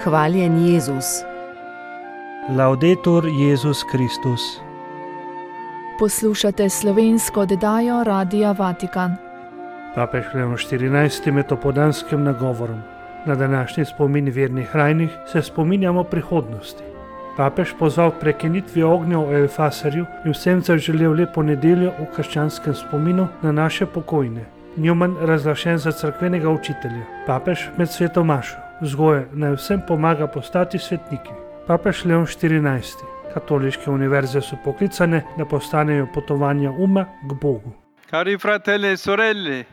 Hvaljen Jezus. Laudetur Jezus Kristus. Poslušate slovensko oddajo Radia Vatikan. Papež Leon XIV. Med opoldanskim nagovorom na današnji spomin vernih rajnih se spominjamo prihodnosti. Papež pozval k prekinitvi ognja v Elfaserju in vsem zaželel lepo nedeljo v krščanskem spominu na naše pokojne. Newman razglašen za cerkvenega učitelja. Papež med sveto mašo vzgoja naj vsem pomaga postati svetniki. Papež Leon XIV. Katoliške univerze so poklicane, da postanejo potovanja uma k Bogu. Cari fratelli e sorelle,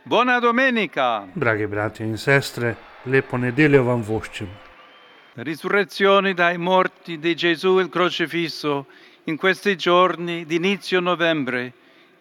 buona domenica! Dragi bratje in sestre, lepo nedeljo vam voščim. La risurrezione dai morti di Gesù il crocifisso in questi giorni di inizio novembre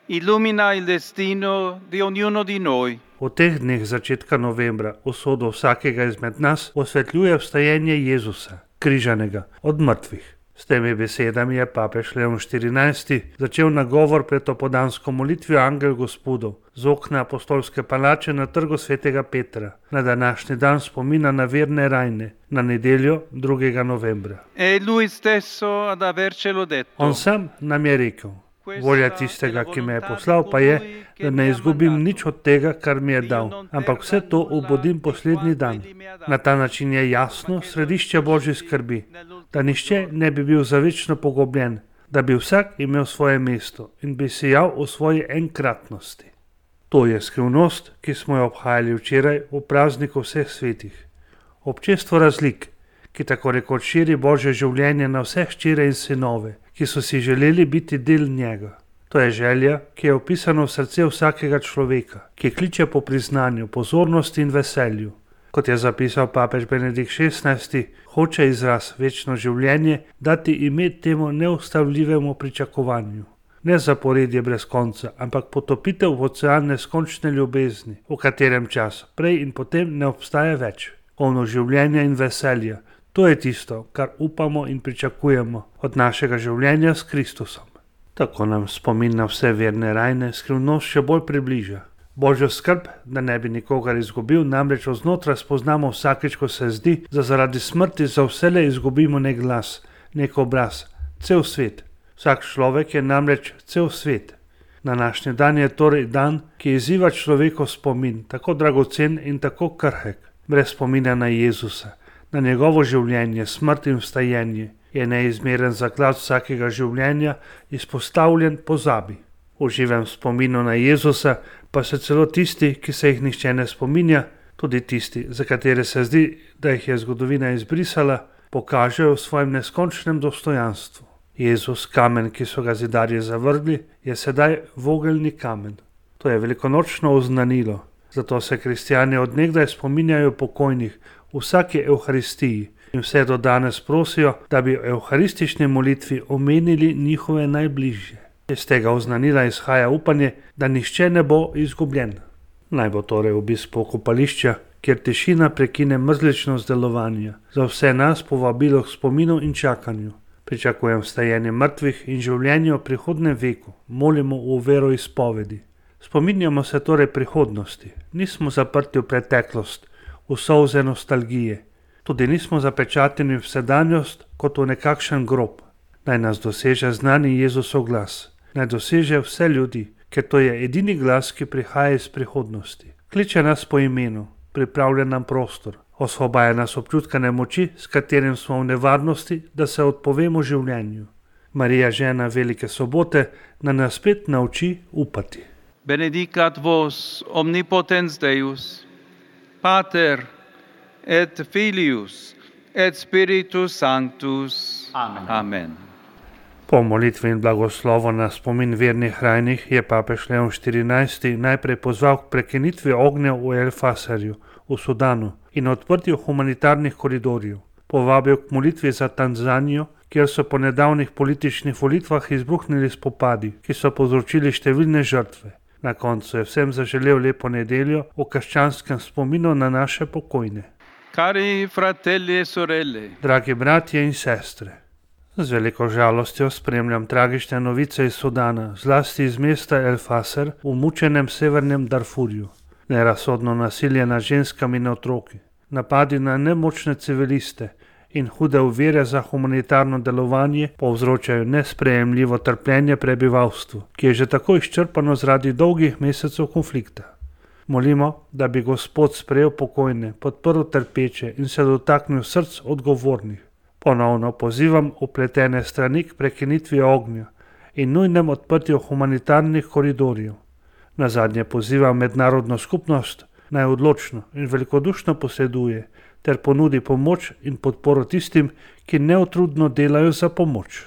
illumina il destino di ognuno di noi. V teh dneh začetka novembra usodo vsakega izmed nas osvetljuje vstajenje Jezusa, križanega od mrtvih. S temi besedami je papež Leon XIV. Začel nagovor pred opoldansko molitvijo Angel Gospodov z okna apostolske palače na trgu svetega Petra, na današnji dan spomina na verne rajne, na nedeljo 2. novembra. E lui stesso ad avercelo detto. On sam nam je rekel: volja tistega, ki me je poslal, pa je, da ne izgubim nič od tega, kar mi je dal, ampak vse to obudim poslednji dan. Na ta način je jasno središče Božje skrbi, da nihče ne bi bil zavečno pogobljen, da bi vsak imel svoje mesto in bi sijal v svoji enkratnosti. To je skrivnost, ki smo jo obhajali včeraj v prazniku vseh svetih. Občestvo razlik, ki tako rekoč širi Božje življenje na vse hčere in sinove, ki so si želeli biti del njega. To je želja, ki je opisana v srce vsakega človeka, ki kliče po priznanju, pozornosti in veselju. Kot je zapisal papež Benedikt XVI, hoče izraz večno življenje dati ime temu neustavljivemu pričakovanju. Ne zaporedje brez konca, ampak potopitev v ocean neskončne ljubezni, v katerem čas prej in potem ne obstaja več. Polno življenja in veselja. To je tisto, kar upamo in pričakujemo od našega življenja s Kristusom. Tako nam spomin na vse verne rajne skrivnost še bolj približa. Božjo skrb, da ne bi nikogar izgubil, namreč oznotraj spoznamo vsakeč, ko se zdi, da zaradi smrti za vselej izgubimo nek glas, nek obraz, cel svet. Vsak človek je namreč cel svet. Današnji dan je torej dan, ki izziva človekov spomin, tako dragocen in tako krhek, brez spomina na Jezusa. Na njegovo življenje, smrt in vstajenje je neizmeren zaklad vsakega življenja izpostavljen pozabi. V živem spominu na Jezusa pa se celo tisti, ki se jih nihče ne spominja, tudi tisti, za katere se zdi, da jih je zgodovina izbrisala, pokažejo v svojem neskončnem dostojanstvu. Jezus, kamen, ki so ga zidarji zavrgli, je sedaj vogelni kamen. To je velikonočno oznanilo, zato se kristjani od nekdaj spominjajo pokojnih v vsaki evharistiji in vse do danes prosijo, da bi v evharistični molitvi omenili njihove najbližje. Iz tega oznanila izhaja upanje, da nihče ne bo izgubljen. Naj bo torej obisk pokopališča, kjer tišina prekine mrzličnost delovanja, za vse nas povabilo k spominu in čakanju. Pričakujem vstajenje mrtvih in življenje v prihodnem veku, molimo v veroizpovedi. Spominjamo se torej prihodnosti, nismo zaprti v preteklost, v solze nostalgije. Tudi nismo zapečateni v sedanjost kot v nekakšen grob. Naj nas doseže znani Jezusov glas. Naj doseže vse ljudi, ker to je edini glas, ki prihaja iz prihodnosti. Kliče nas po imenu, pripravlja nam prostor, osvobaja nas občutka nemoči, s katerim smo v nevarnosti, da se odpovemo življenju. Marija, žena velike sobote, nas spet nauči upati. Benedicat vos omnipotens Deus, Pater et Filius et Spiritus Sanctus. Amen. Amen. Po molitvi in blagoslovu na spomin vernih rajnih je papež Leon XIV. Najprej pozval k prekinitvi ognja v Elfaserju v Sudanu in odprtju humanitarnih koridorjev. Povabil k molitvi za Tanzanijo, kjer so po nedavnih političnih volitvah izbruhnili spopadi, ki so povzročili številne žrtve. Na koncu je vsem zaželel lepo nedeljo v krščanskem spominu na naše pokojne. Cari fratelli e sorelle, dragi bratje in sestre, z veliko žalostjo spremljam tragične novice iz Sudana, zlasti iz mesta El-Faser v mučenem severnem Darfurju. Nerazsodno nasilje nad ženskami in otroki, Napadi na nemočne civiliste in hude ovire za humanitarno delovanje povzročajo nesprejemljivo trpljenje prebivalstvu, ki je že tako izčrpano zaradi dolgih mesecev konflikta. Molimo, da bi Gospod sprejel pokojne, podprl trpeče in se dotaknil src odgovornih. Ponovno pozivam upletene strani k prekinitvi ognja in nujnem odprtju humanitarnih koridorjev. Nazadnje pozivam mednarodno skupnost, naj odločno in velikodušno posreduje ter ponudi pomoč in podporo tistim, ki neutrudno delajo za pomoč.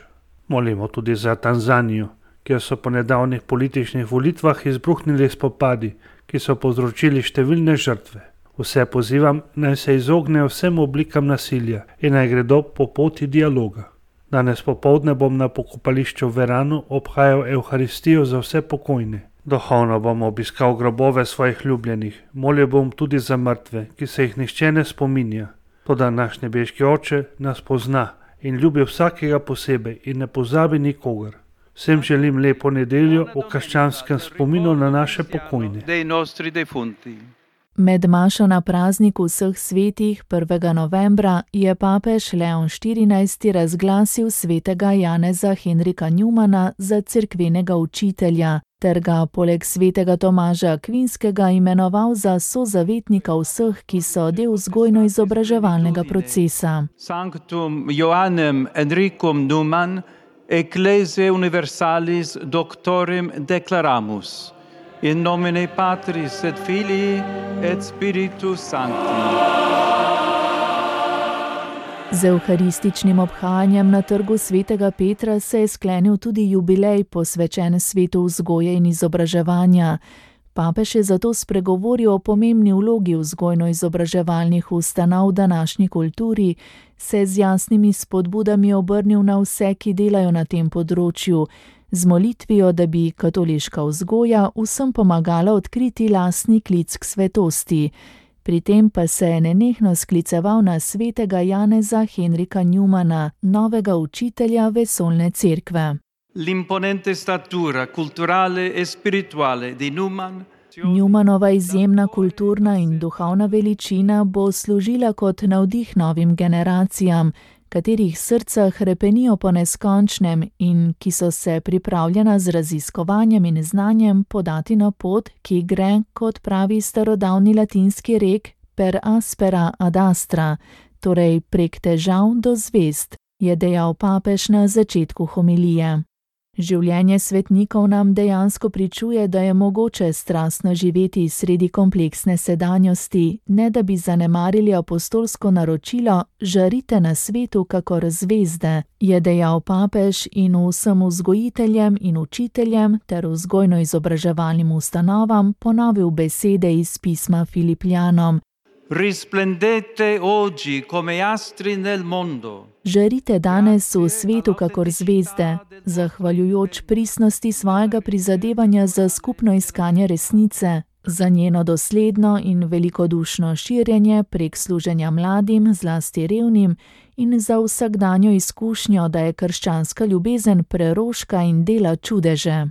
Molimo tudi za Tanzanijo, kjer so po nedavnih političnih volitvah izbruhnili spopadi, ki so povzročili številne žrtve. Vse pozivam, naj se izognejo vsem oblikam nasilja in naj gredo po poti dialoga. Danes popoldne bom na pokopališču v Veranu obhajal Evharistijo za vse pokojne. Duhovno bom obiskal grobove svojih ljubljenih, molil bom tudi za mrtve, ki se jih nihče ne spominja. Toda naš nebeški Oče nas pozna in ljubi vsakega posebej in ne pozabi nikogar. Vsem želim lepo nedeljo v krščanskem spominu na naše pokojne. Med mašo na prazniku vseh svetih 1. novembra je papež Leon XIV. Razglasil svetega Janeza Henrika Newmana za cerkvenega učitelja, ter ga poleg svetega Tomaža Akvinskega imenoval za sozavetnika vseh, ki so del vzgojno-izobraževalnega procesa. Sanctum Ioannem Henricum Newman, Ecclesiae Universalis Doctorem declaramus. In nomine Patris et Filii et Spiritus Sancti. Z evharističnim obhajanjem na trgu svetega Petra se je sklenil tudi jubilej, posvečen svetu vzgoje in izobraževanja. Papež je zato spregovoril o pomembni vlogi vzgojno-izobraževalnih ustanov v današnji kulturi, se z jasnimi spodbudami obrnil na vse, ki delajo na tem področju, z molitvijo, da bi katoliška vzgoja vsem pomagala odkriti lastni klic k svetosti. Pri tem pa se je nenehno skliceval na svetega Janeza Henrika Newmana, novega učitelja vesoljne cerkve. L'imponente statura culturale e spirituale di Newman. Newmanova izjemna kulturna in duhovna veličina bo služila kot navdih novim generacijam, katerih srca hrepenijo po neskončnem in ki so se pripravljena z raziskovanjem in znanjem podati na pot, ki gre, kot pravi starodavni latinski rek, per aspera ad astra, torej prek težav do zvezd, je dejal papež na začetku homilije. Življenje svetnikov nam dejansko pričuje, da je mogoče strastno živeti sredi kompleksne sedanjosti, ne da bi zanemarili apostolsko naročilo žarite na svetu kakor zvezde, je dejal papež in vsem vzgojiteljem in učiteljem ter vzgojno-izobraževalnim ustanovam ponovil besede iz pisma Filipljanom. Risplendete oggi come astri nel mondo. Žarite danes v svetu kakor zvezde, zahvaljujoč pristnosti svojega prizadevanja za skupno iskanje resnice, za njeno dosledno in velikodušno širjenje prek služenja mladim, zlasti revnim, in za vsakdanjo izkušnjo, da je krščanska ljubezen preroška in dela čudeže.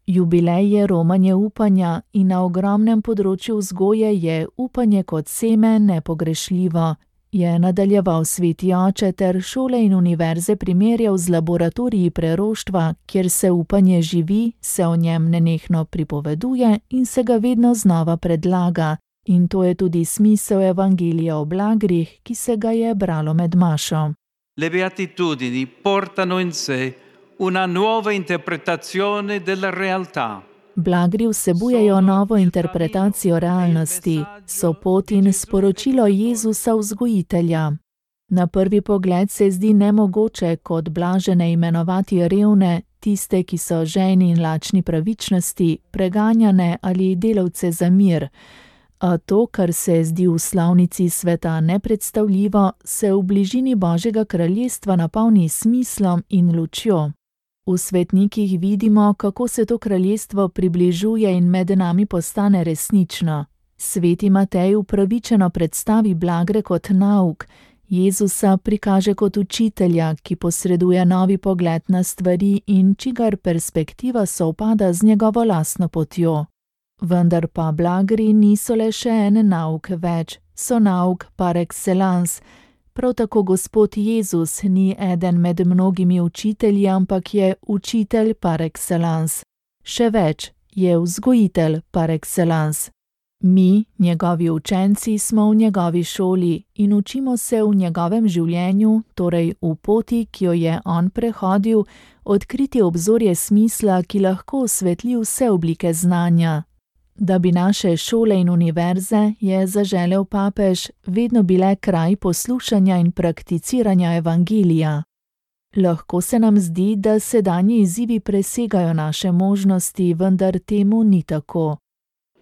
Jubilej je romanje upanja in na ogromnem področju vzgoje je upanje kot seme nepogrešljivo, je nadaljeval sveti oče ter šole in univerze primerjal z laboratoriji preroštva, kjer se upanje živi, se o njem nenehno pripoveduje in se ga vedno znova predlaga. In to je tudi smisel evangelija o blagrih, ki se ga je bralo med mašo. Le beatitudini portano in sé una nuova interpretazione della realtà. Blagri vsebujejo novo interpretacijo realnosti, so pot in sporočilo Jezusa vzgojitelja. Na prvi pogled se zdi nemogoče kot blažene imenovati revne, tiste, ki so žejni in lačni pravičnosti, preganjane ali delavce za mir. A to, kar se zdi v slovnici sveta nepredstavljivo, se v bližini Božjega kraljestva napolni smislom in lučjo. V svetnikih vidimo, kako se to kraljestvo približuje in med nami postane resnično. Sveti Matej upravičeno predstavi blagre kot nauk, Jezusa prikaže kot učitelja, ki posreduje novi pogled na stvari in čigar perspektiva sovpada z njegovo lastno potjo. Vendar pa blagri niso le še en nauk več, so nauk par excellence. Prav tako Gospod Jezus ni eden med mnogimi učitelji, ampak je učitelj par excellence. Še več, je vzgojitelj par excellence. Mi, njegovi učenci, smo v njegovi šoli in učimo se v njegovem življenju, torej v poti, ki jo je on prehodil, odkriti obzorje smisla, ki lahko osvetli vse oblike znanja. Da bi naše šole in univerze, je zaželel papež, vedno bile kraj poslušanja in prakticiranja evangelija. Lahko se nam zdi, da sedanji izzivi presegajo naše možnosti, vendar temu ni tako.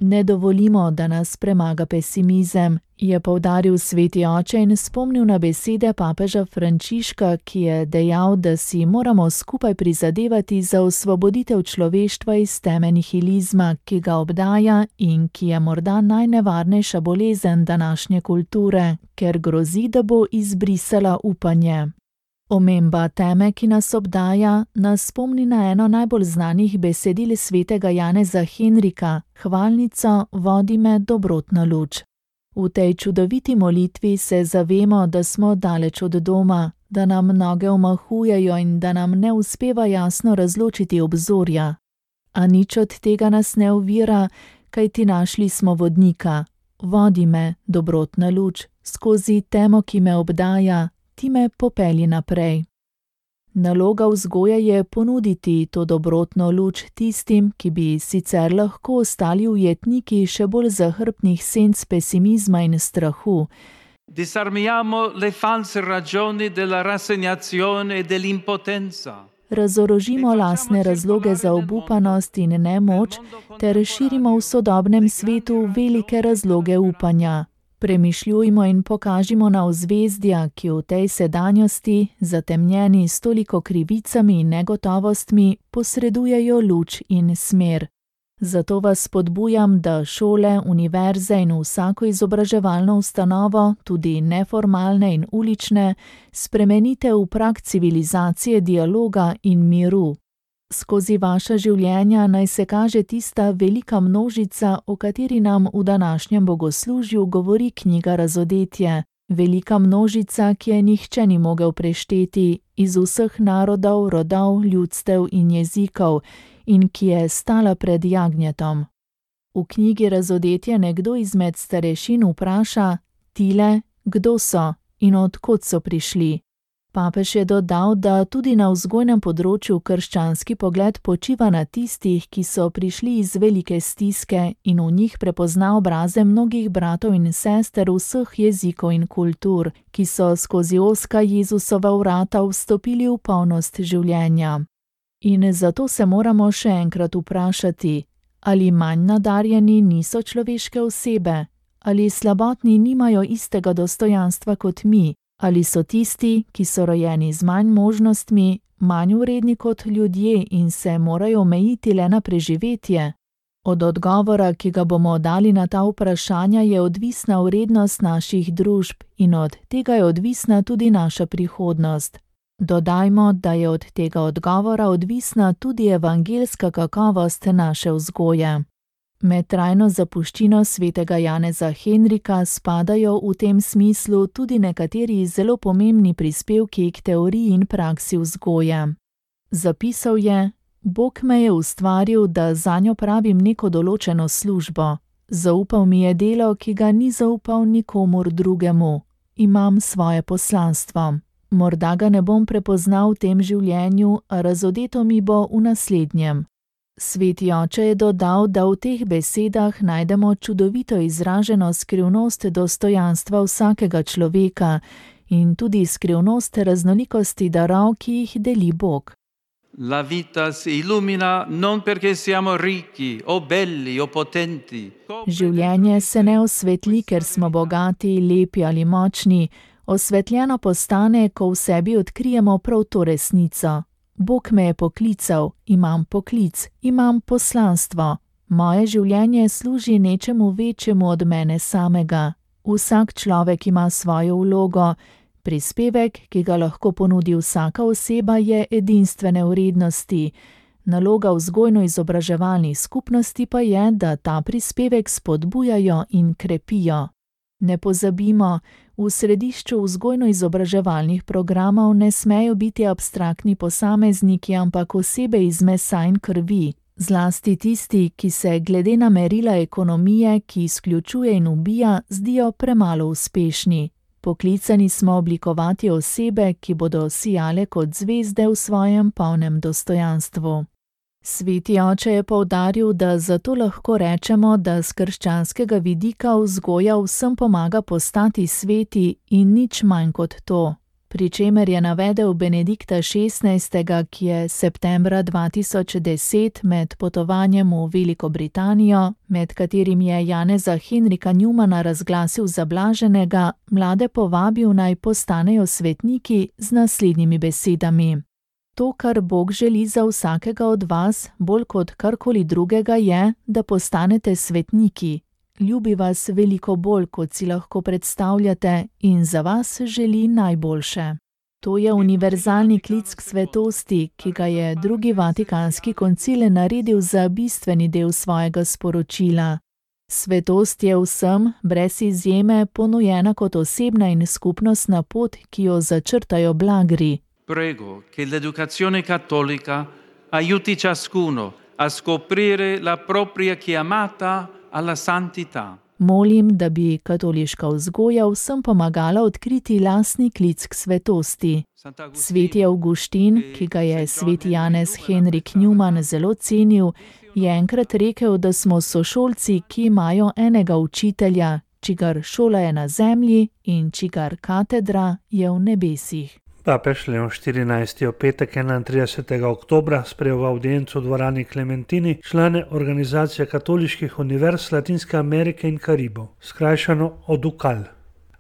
Ne dovolimo, da nas premaga pesimizem, je poudaril sveti oče in spomnil na besede papeža Frančiška, ki je dejal, da si moramo skupaj prizadevati za osvoboditev človeštva iz teme nihilizma, ki ga obdaja in ki je morda najnevarnejša bolezen današnje kulture, ker grozi, da bo izbrisala upanje. Omemba teme, ki nas obdaja, nas spomni na eno najbolj znanih besedil svetega Janeza Henrika, hvalnico Vodi me, dobrotna luč. V tej čudoviti molitvi se zavemo, da smo daleč od doma, da nam noge omahujejo in da nam ne uspeva jasno razločiti obzorja. A nič od tega nas ne ovira, kajti našli smo vodnika. Vodi me, dobrotna luč, skozi temo, ki me obdaja, ti me popelji naprej. Naloga vzgoje je ponuditi to dobrotno luč tistim, ki bi sicer lahko ostali ujetniki še bolj zahrbtnih senc pesimizma in strahu. Disarmiamo le false ragioni della rassegnazione e dell'impotenza. Razorožimo lastne razloge za obupanost in nemoč ter širimo v sodobnem svetu velike razloge upanja. Premišljujmo in pokažimo na ozvezdja, ki v tej sedanjosti, zatemnjeni s toliko krivicami in negotovostmi, posredujejo luč in smer. Zato vas spodbujam, da šole, univerze in vsako izobraževalno ustanovo, tudi neformalne in ulične, spremenite v prak civilizacije dialoga in miru. Skozi vaša življenja naj se kaže tista velika množica, o kateri nam v današnjem bogoslužju govori knjiga Razodetje. Velika množica, ki je nihče ni mogel prešteti, iz vseh narodov, rodov, ljudstev in jezikov, in ki je stala pred jagnjetom. V knjigi Razodetje nekdo izmed starešin vpraša: Tile, kdo so in od kod so prišli? Papež je dodal, da tudi na vzgojnem področju krščanski pogled počiva na tistih, ki so prišli iz velike stiske in v njih prepozna obraze mnogih bratov in sester vseh jezikov in kultur, ki so skozi ozka Jezusova vrata vstopili v polnost življenja. In zato se moramo še enkrat vprašati, ali manj nadarjeni niso človeške osebe, ali slabotni nimajo istega dostojanstva kot mi, ali so tisti, ki so rojeni z manj možnostmi, manj vredni kot ljudje in se morajo omejiti le na preživetje? Od odgovora, ki ga bomo dali na ta vprašanja, je odvisna vrednost naših družb in od tega je odvisna tudi naša prihodnost. Dodajmo, da je od tega odgovora odvisna tudi evangeljska kakovost naše vzgoje. Med trajno zapuščino svetega Janeza Henrika spadajo v tem smislu tudi nekateri zelo pomembni prispevki k teoriji in praksi vzgoje. Zapisal je: Bog me je ustvaril, da zanjo pravim neko določeno službo. Zaupal mi je delo, ki ga ni zaupal nikomur drugemu. Imam svoje poslanstvo. Morda ga ne bom prepoznal v tem življenju, a razodeto mi bo v naslednjem. Sveti oče je dodal, da v teh besedah najdemo čudovito izraženo skrivnost dostojanstva vsakega človeka in tudi skrivnost raznolikosti darov, ki jih deli Bog. La vita si illumina non perché siamo ricchi o belli o potenti. Življenje se ne osvetli, ker smo bogati, lepi ali močni. Osvetljeno postane, ko v sebi odkrijemo prav to resnico. Bog me je poklical, imam poklic, imam poslanstvo. Moje življenje služi nečemu večjemu od mene samega. Vsak človek ima svojo vlogo. Prispevek, ki ga lahko ponudi vsaka oseba, je edinstvene vrednosti. Naloga vzgojno-izobraževalnih skupnosti pa je, da ta prispevek spodbujajo in krepijo. Ne pozabimo, v središču vzgojno-izobraževalnih programov ne smejo biti abstraktni posamezniki, ampak osebe iz mesa in krvi. Zlasti tisti, ki se glede na merila ekonomije, ki izključuje in ubija, zdijo premalo uspešni. Poklicani smo oblikovati osebe, ki bodo sijale kot zvezde v svojem polnem dostojanstvu. Sveti oče je poudaril, da zato lahko rečemo, da s krščanskega vidika vzgoja vsem pomaga postati sveti in nič manj kot to. Pri čemer je navedel Benedikta XVI., ki je septembra 2010 med potovanjem v Veliko Britanijo, med katerim je Janeza Henrika Newmana razglasil za blaženega, mlade povabil naj postanejo svetniki z naslednjimi besedami. To, kar Bog želi za vsakega od vas, bolj kot karkoli drugega je, da postanete svetniki. Ljubi vas veliko bolj, kot si lahko predstavljate, in za vas želi najboljše. To je univerzalni klic k svetosti, ki ga je drugi Vatikanski koncil naredil za bistveni del svojega sporočila. Svetost je vsem, brez izjeme, ponujena kot osebna in skupnostna pot, ki jo začrtajo blagri. Prego che l'educazione cattolica aiuti ciascuno a scoprire la propria chiamata alla santità. Molim, da bi katoliška vzgoja vsem pomagala odkriti lastni klic k svetosti. Sveti Avguštin, ki ga je sveti Janez Henrik Newman zelo cenil, je enkrat rekel, da smo sošolci, ki imajo enega učitelja, čigar šola je na zemlji in čigar katedra je v nebesih. Papež Leon XIV. V petek 31. oktobra sprejel v avdiencu v dvorani Klementini člane Organizacije katoliških univerz Latinske Amerike in Karibov, skrajšano ODUCAL.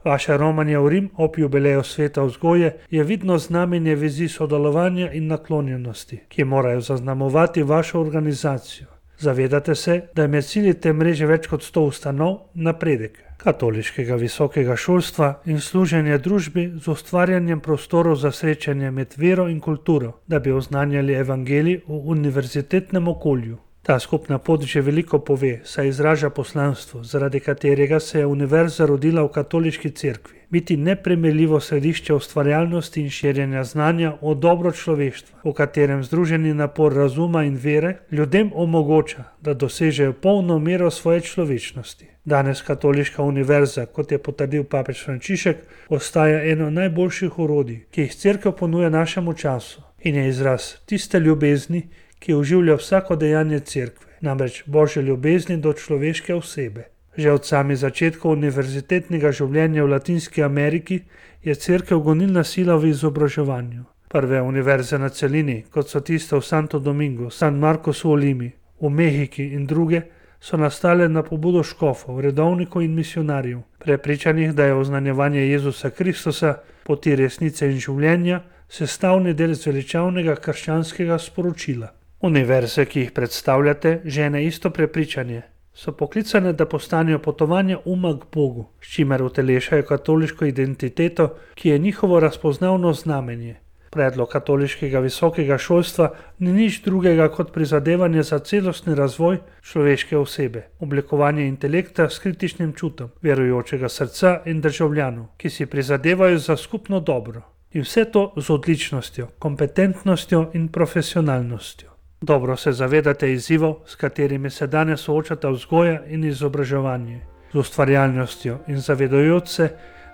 Vaše romanje v Rim ob jubileju sveta vzgoje je vidno znamenje vezi sodelovanja in naklonjenosti, ki morajo zaznamovati vašo organizacijo. Zavedate se, da je med cilji te mreže več kot 100 ustanov, napredek katoliškega visokega šolstva in služenje družbi z ustvarjanjem prostorov za srečanje med vero in kulturo, da bi oznanjali evangelij v univerzitetnem okolju. Ta skupna pot že veliko pove, saj izraža poslanstvo, zaradi katerega se je univerza rodila v katoliški cerkvi. Biti neprimerljivo središče ustvarjalnosti in širjenja znanja o dobro človeštva, v katerem združeni napor razuma in vere ljudem omogoča, da dosežejo polno mero svoje človečnosti. Danes katoliška univerza, kot je potrdil papež Frančišek, ostaja eno najboljših orodij, ki jih cerkev ponuja našemu času in je izraz tiste ljubezni, ki oživlja vsako dejanje cerkve, namreč Božje ljubezni do človeške osebe. Že od samih začetkov univerzitetnega življenja v Latinski Ameriki je cerkev gonilna sila v izobraževanju. Prve univerze na celini, kot so tiste v Santo Domingo, San Marcosu v Limi, v Mehiki in druge, so nastale na pobudo škofov, redovnikov in misionarjev, prepričanih, da je oznanjevanje Jezusa Kristusa, poti resnice in življenja, sestavni del zveličavnega krščanskega sporočila. Univerze, ki jih predstavljate, žene isto prepričanje. So poklicane, da postanejo potovanje uma k Bogu, s čimer utelešajo katoliško identiteto, ki je njihovo razpoznavno znamenje. Predlog katoliškega visokega šolstva ni nič drugega kot prizadevanje za celostni razvoj človeške osebe, oblikovanje intelekta s kritičnim čutom, verujočega srca in državljanov, ki si prizadevajo za skupno dobro. In vse to z odličnostjo, kompetentnostjo in profesionalnostjo. Dobro se zavedate izzivov, s katerimi se danes soočata vzgoja in izobraževanje. Z ustvarjalnostjo in zavedajoč se,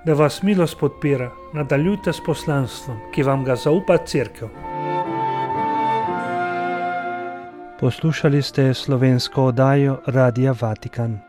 da vas milost podpira, nadaljujte s poslanstvom, ki vam ga zaupa cerkev. Poslušali ste slovensko oddajo Radia Vatikan.